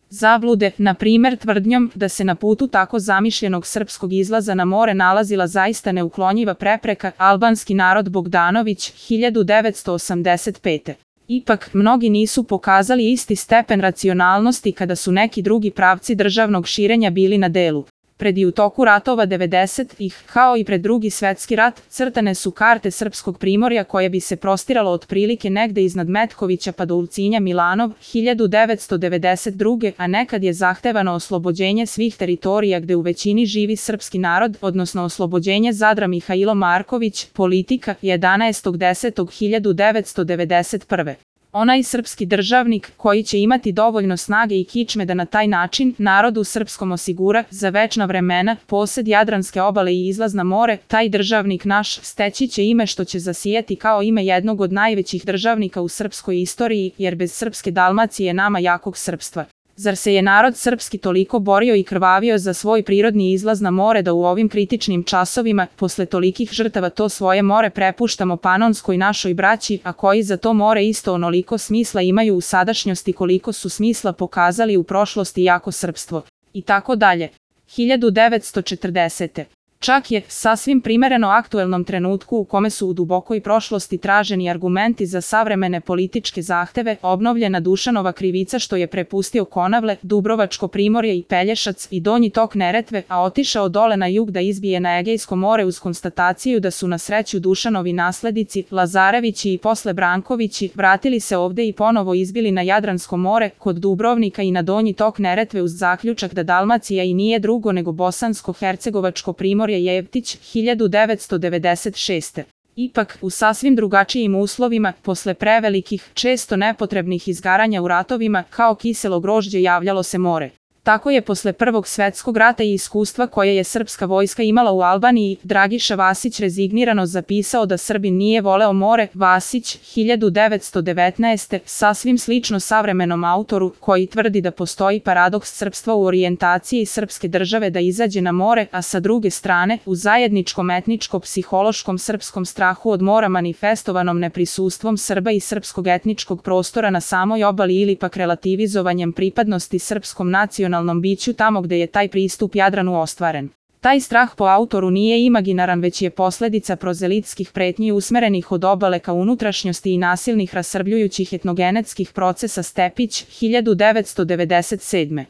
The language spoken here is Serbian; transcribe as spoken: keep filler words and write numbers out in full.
zablude, na primer tvrdnjom da se na putu tako zamišljenog srpskog izlaza na more nalazila zaista neuklonjiva prepreka, albanski narod Bogdanović, hiljadu devetsto osamdeset pete. Ipak, mnogi nisu pokazali isti stepen racionalnosti kada su neki drugi pravci državnog širenja bili na delu. Pred i u toku ratova devedesetih, kao i pred Drugi svetski rat, crtane su karte srpskog primorja koje bi se prostiralo otprilike negde iznad Metkovića pa do Ulcinja Milanov, hiljadu devetsto devedeset druge. a nekad je zahtevano oslobođenje svih teritorija gde u većini živi srpski narod, odnosno oslobođenje Zadra. Mihailo Marković, Politika, jedanaestog desetog hiljadu devetsto devedeset prve. Onaj srpski državnik koji će imati dovoljno snage i kičme da na taj način narodu srpskom osigura za večna vremena posed Jadranske obale i izlaz na more, taj državnik naš steći će ime što će zasijati kao ime jednog od najvećih državnika u srpskoj istoriji, jer bez srpske Dalmacije nama jakog srpstva. Zar se je narod srpski toliko borio i krvavio za svoj prirodni izlaz na more da u ovim kritičnim časovima, posle tolikih žrtava to svoje more prepuštamo Panonskoj našoj braći, a koji za to more isto onoliko smisla imaju u sadašnjosti koliko su smisla pokazali u prošlosti jako srpstvo. I tako dalje. hiljadu devetsto četrdesete. Čak je, sasvim primereno aktuelnom trenutku u kome su u dubokoj prošlosti traženi argumenti za savremene političke zahteve, obnovljena Dušanova krivica što je prepustio Konavle, Dubrovačko primorje i Pelješac i donji tok Neretve, a otišao dole na jug da izbije na Egejsko more uz konstataciju da su na sreću Dušanovi nasledici, Lazarevići i posle Brankovići, vratili se ovde i ponovo izbili na Jadransko more, kod Dubrovnika i na donji tok Neretve uz zaključak da Dalmacija i nije drugo nego Bosansko-Hercegovačko primorje Jevtić, hiljadu devetsto devedeset šeste. Ipak, u sasvim drugačijim uslovima, posle prevelikih, često nepotrebnih izgaranja u ratovima, kao kiselo grožđe javljalo se more. Tako je posle Prvog svetskog rata i iskustva koje je srpska vojska imala u Albaniji, Dragiša Vasić rezignirano zapisao da Srbin nije voleo more. Vasić, hiljadu devetsto devetnaeste. Sasvim slično savremenom autoru, koji tvrdi da postoji paradoks srpstva u orijentaciji srpske države da izađe na more, a sa druge strane, u zajedničkom etničko-psihološkom srpskom strahu od mora manifestovanom neprisustvom Srba i srpskog etničkog prostora na samoj obali ili pak relativizovanjem pripadnosti srpskom nacionalnom biću tamo gde je taj pristup Jadranu ostvaren. Taj strah po autoru nije imaginaran već je posledica prozelitskih pretnji usmerenih od obale ka unutrašnjosti i nasilnih rasrbljujućih etnogenetskih procesa. Stepić, hiljadu devetsto devedeset sedme.